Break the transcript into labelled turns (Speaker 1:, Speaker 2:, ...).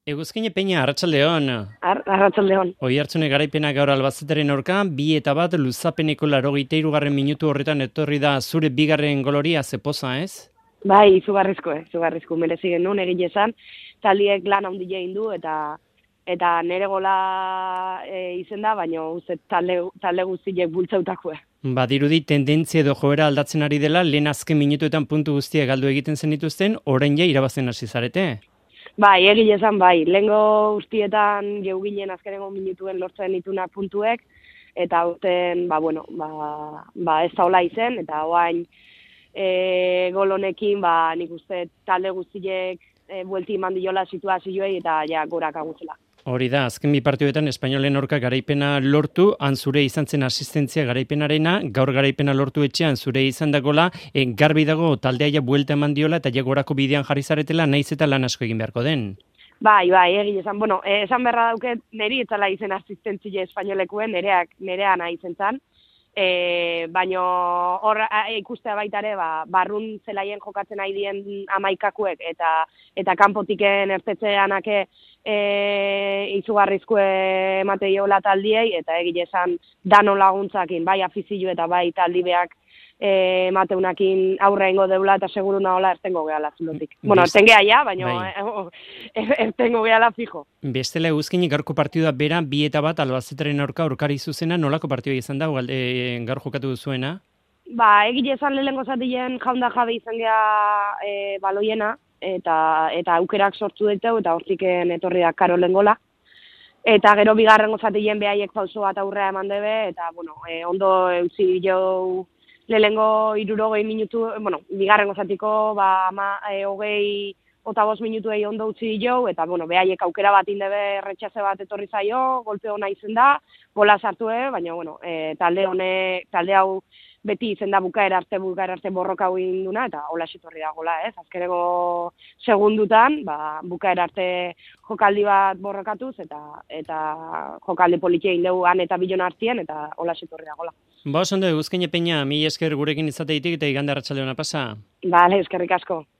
Speaker 1: Eguzkine Peña, arratsaldeon.
Speaker 2: Arratsaldeon.
Speaker 1: Oihartzune garaipena gaur Albazeteren aurka, 2-1 luzapeneko 83. minutu horretan etorri da zure bigarren goloria zepoza, ez?
Speaker 2: Bai, izugarrizko merezi genuen egile esan. Taldiek lan handia egin du eta nere gola izen da, baina uste talde guztiek bultzautakoa.
Speaker 1: Badirudi tendentzia edo joera aldatzen ari dela, lehen azken minutuetan puntu guztia galdu egiten zenituzten, orain ja irabazten hasi zarete.
Speaker 2: Bai, egile esan bai. Lehengo guztietan geu ginen azkenengo minutuen lortzen ditunak puntuek, eta aurten, ez da hola izen, eta oain gol honekin, nik uste talde guztiek buelti eman diola situazioei eta ja gorak aguzela.
Speaker 1: Hori da, azken bi partioetan Espainolen aurka garaipena lortu, han zure izan zen asistentzia garaipenarena, gaur garaipena lortu etxean zure izan dagola, garbi dago taldea ja buelta eman diola eta ja gorako bidean jarri zaretela, naiz eta lan asko egin beharko den.
Speaker 2: Bai, egile esan. Esan beharra dauket, niri etzala izen asistentzia Espainolekuen, nerea nahi izen zan. Baina hor ikustea baita ere, barrun zelaien jokatzen nahi dien amaikakuek eta kanpotiken ertetzeanake izugarrizko emateiola taldiei, eta egile esan dano laguntzakin, bai afizio eta bai taldibeak mateunakin aurre ingo deula eta seguru nahola ertengo gehala zulotik. Erten geha ja, baina ertengo gehala fijo.
Speaker 1: Bestela Eguzkinik gaurko partidua bera 2-1 Albazeteren aurka aurkari zuzena, nolako partidua izan da, gaur jokatu duzuena?
Speaker 2: Egile esan lehengo zatien jaunda jabe izan geha baloiena, eta aukerak sortu ditu, eta hortiken etorri da Karolen gola. Eta gero bigarrengo zatien behaiek pauso bat aurrea eman debe, eta ondo eutzi jo lehengo 60 minutu, bigarrengo zatiko, 25 minutuei ondo utzi jo, eta behaiek aukera bat indebe retxaze bat etorri zaio, golpe hona izen da, gola sartu, baina talde hau beti izen da bukaera arte borroka hau induna, eta hola etorri da gola, ez? Azkeneko segundutan, bukaera arte jokaldi bat borrokatuz, eta jokaldi politia indegu han eta bilon artien, eta hola etorri da gola.
Speaker 1: Ondo, Eguzkine Peña, mila esker gurekin izateitik eta igande arratsaldeona pasa.
Speaker 2: Bale, eskerrik asko.